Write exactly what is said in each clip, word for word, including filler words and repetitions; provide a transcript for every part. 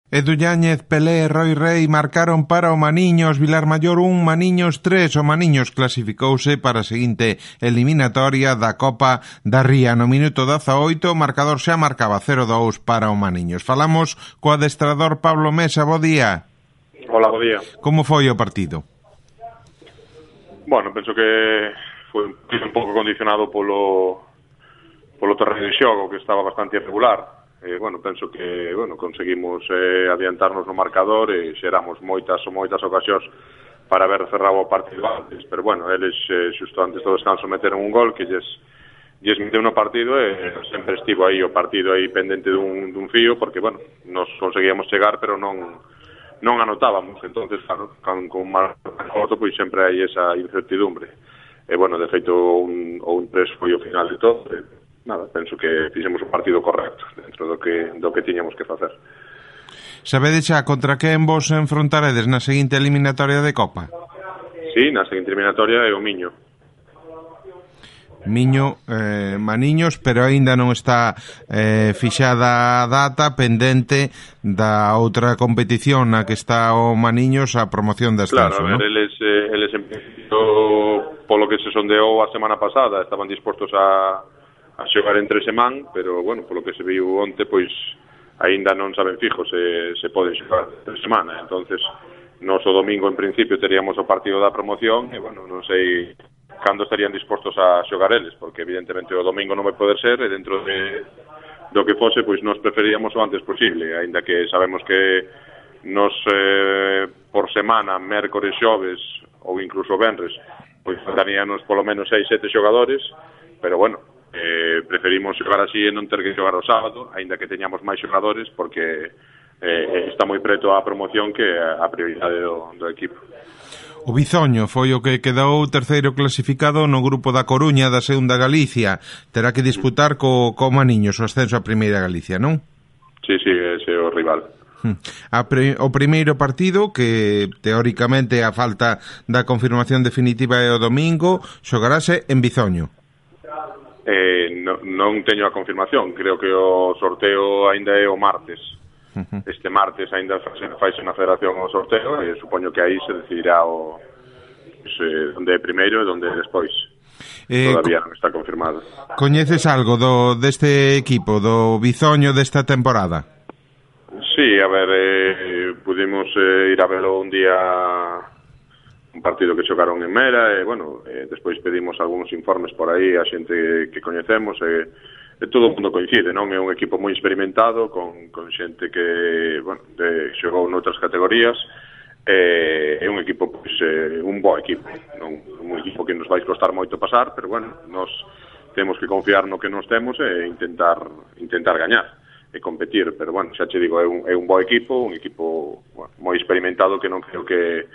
Edu Yáñez, Pelé e Roi Rei marcaron para o Maniños, Vilarmaior un, Maniños tres. O Maniños clasificouse para a seguinte eliminatoria da Copa da Ría. No minuto dezaoito, o marcador xa marcaba cero dous para o Maniños. Falamos co adestrador Pablo Mesa. Bo día. Hola, bo día. Como foi o partido? Bueno, penso que foi un pouco condicionado polo polo terreno de xogo, que estaba bastante irregular. Eh, bueno, penso que bueno, conseguimos eh, adiantarnos no marcador e xeramos moitas ou moitas ocasións para haber cerrado o partido antes, pero bueno, eles eh, xusto antes do descanso meteron un gol que lles, lles meteu no partido e sempre estivo aí o partido aí pendente dun, dun fío, porque bueno, nos conseguíamos chegar pero non non anotábamos, entonces claro, con, con un marco corto pois sempre hai esa incertidumbre e bueno, de feito un, o un tres foi o final de todo e, nada, penso que fixemos o partido correcto dentro do que do que tiñamos que facer. Sabedes xa contra quen vos enfrontaredes na seguinte eliminatoria de Copa? Sí, na seguinte eliminatoria é o Miño. Miño, eh, Maniños, pero aínda non está eh, fixada a data pendente da outra competición na que está o Maniños, a promoción de ascenso, claro, a ver, ¿no? eles, eh, eles en principio, polo que se sondeou a semana pasada, estaban dispostos a a xogar entre semán, pero, bueno, polo que se viu onte, pois, aínda non saben fijo se, se poden xogar entre semana. Entonces, nos o domingo, en principio, teríamos o partido da promoción, e, bueno, non sei cando estarían dispostos a xogar eles, porque, evidentemente, o domingo non vai poder ser, e dentro de, do que fose, pois, nos preferíamos o antes posible, aínda que sabemos que nos, eh, por semana, mércores, xoves, ou incluso venres, pois, daríanos polo menos seis, sete xogadores, pero, bueno, Eh, preferimos xogar así e non ter que xogar o sábado, aínda que teñamos máis xogadores, porque eh, está moi preto a promoción que a prioridade do, do equipo. O Bizoño foi o que quedou terceiro clasificado no grupo da Coruña da segunda Galicia. Terá que disputar co, co Maniños o ascenso a primeira Galicia, non? Sí, sí, ese é o rival. A pre, o primeiro partido, que teóricamente a falta da confirmación definitiva é o domingo, xogarase en Bizoño. Eh, no, non teño a confirmación, creo que o sorteo aínda é o martes. Uh-huh. Este martes aínda faise na federación o sorteo e supoño que aí se decidirá o pues, eh, onde é primeiro e onde é despois. Eh, Todavía non está confirmado. Coñeces algo do deste equipo, do Bizoño desta temporada? Sí, a ver, eh, pudimos eh, ir a verlo un día, un partido que xogaron en Mera e, bueno, eh, despois pedimos algúns informes por aí a xente que coñecemos e, e todo o mundo coincide, non? É un equipo moi experimentado con, con xente que, bueno, de, xogou noutras categorías e é un equipo, pois, eh, un bo equipo, non? Un equipo que nos vai costar moito pasar, pero, bueno, nos temos que confiar no que nos temos e intentar intentar gañar e competir, pero, bueno, xa che digo, é un, é un bo equipo, un equipo, bueno, moi experimentado que non creo que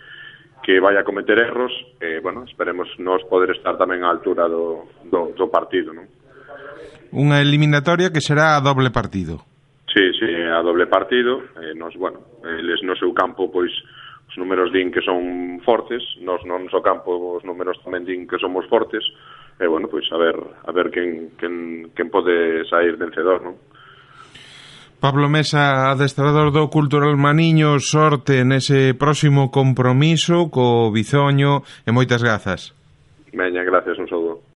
que vai a cometer erros e, bueno, esperemos nos poder estar tamén á altura do, do, do partido, non? Unha eliminatoria que será a doble partido. Sí, sí, a doble partido. Eh, nos, bueno, eles no seu campo, pois, os números din que son fortes, nos no noso campo os números tamén din que somos fortes, e, bueno, pois, a ver, a ver quen, quen, quen pode sair vencedor, non? Pablo Mesa, adestrador do Cultural Maniños, sorte nese próximo compromiso co Bizoño e moitas grazas. Veña, gracias, un saúdo.